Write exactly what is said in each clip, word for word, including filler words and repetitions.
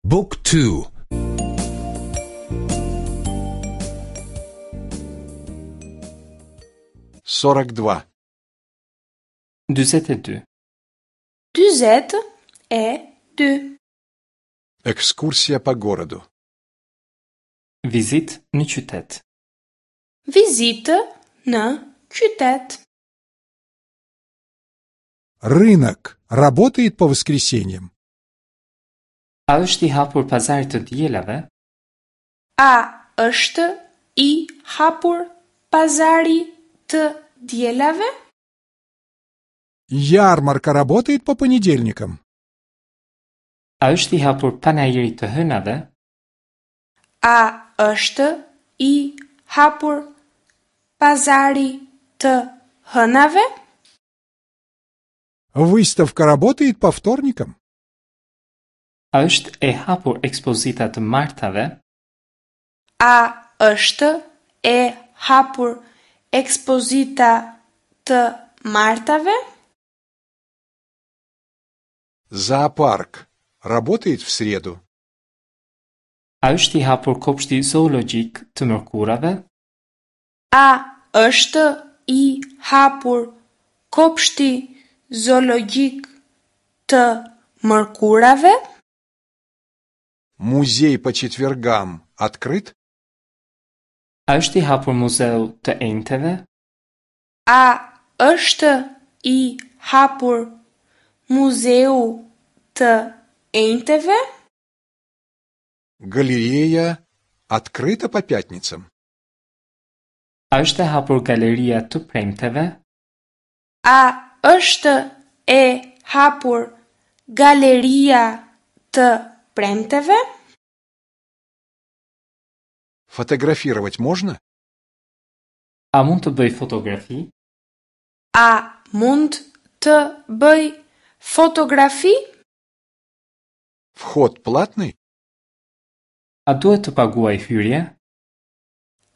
Book two. Сорок два. Dyzet e dy. Dyzet e dy. Экскурсия по городу. Vizitë në qytet. Vizitë në qytet. Рынок работает по воскресеньям? A është i hapur pazari të dielave? A është i hapur pazari të dielave? Ярмарка работает по понедельникам? A është i hapur panairi të hënave? A është i hapur pazari të hënave? Выставка работает по вторникам? A është e hapur ekspozita të martave? A është e hapur ekspozita të martave? Зоопарк работает в среду? A është i hapur kopshti zoologjik të mërkurave? A është i hapur kopshti zoologjik të mërkurave? Музей по четвергам открыт? A është i hapur muzeu të enjteve? A është i hapur muzeu të enjteve? Галерея открыта по пятницам? A është e hapur galeria të premteve? A është e hapur galeria të premteve? Фотографировать можно? A mund të bëj fotografi? A mund të bëj fotografi? Вход платный? A duhet të paguaj hyrje?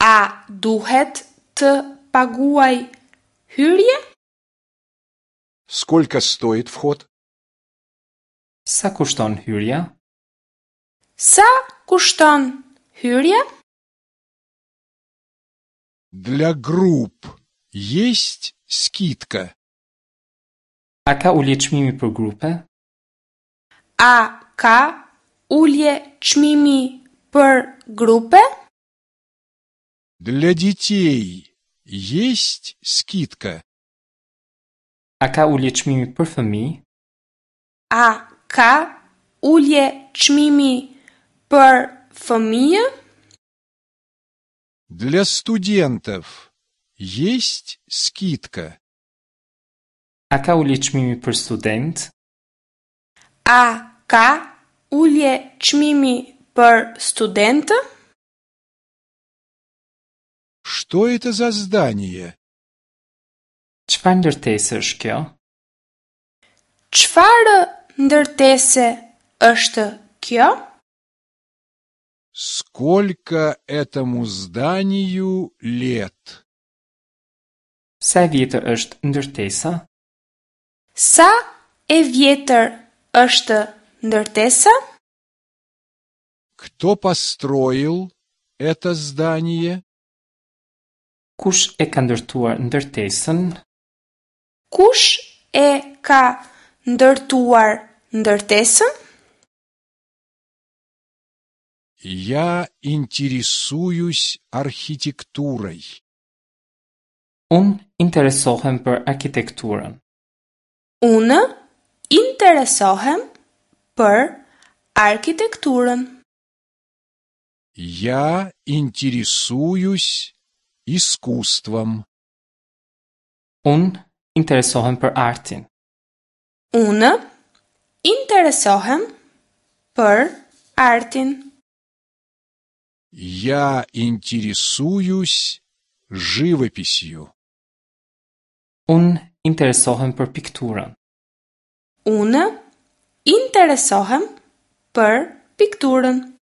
A duhet të paguaj hyrje? Сколько стоит вход? Sa kushton hyrja? Sa kushton hyrja? Для групп есть скидка? A ka ulje çmimi për grupe? A ka ulje çmimi për grupe? Для детей есть скидка? A ka ulje çmimi për fëmijë? A ka ulje çmimi për fëmijë? Для студентов есть скидка? A ka ulje çmimi për student? A ka ulje çmimi për studentë? Что это за здание? Çfarë ndërtese është kjo? Çfarë ndërtese është kjo? Сколько этому зданию лет? Sa e vjetër është ndërtesa? Sa e vjetër është ndërtesa? Кто построил это здание? Kush e ka ndërtuar ndërtesën? Kush e ka ndërtuar ndërtesën? Я интересуюсь архитектурой. Unë interesohem për arkitekturën. Unë interesohem për arkitekturën. Я интересуюсь искусством. Unë interesohem për artin. Unë interesohem për artin. Я интересуюсь живописью. Unë interesohem për pikturën. Unë interesohem për pikturën.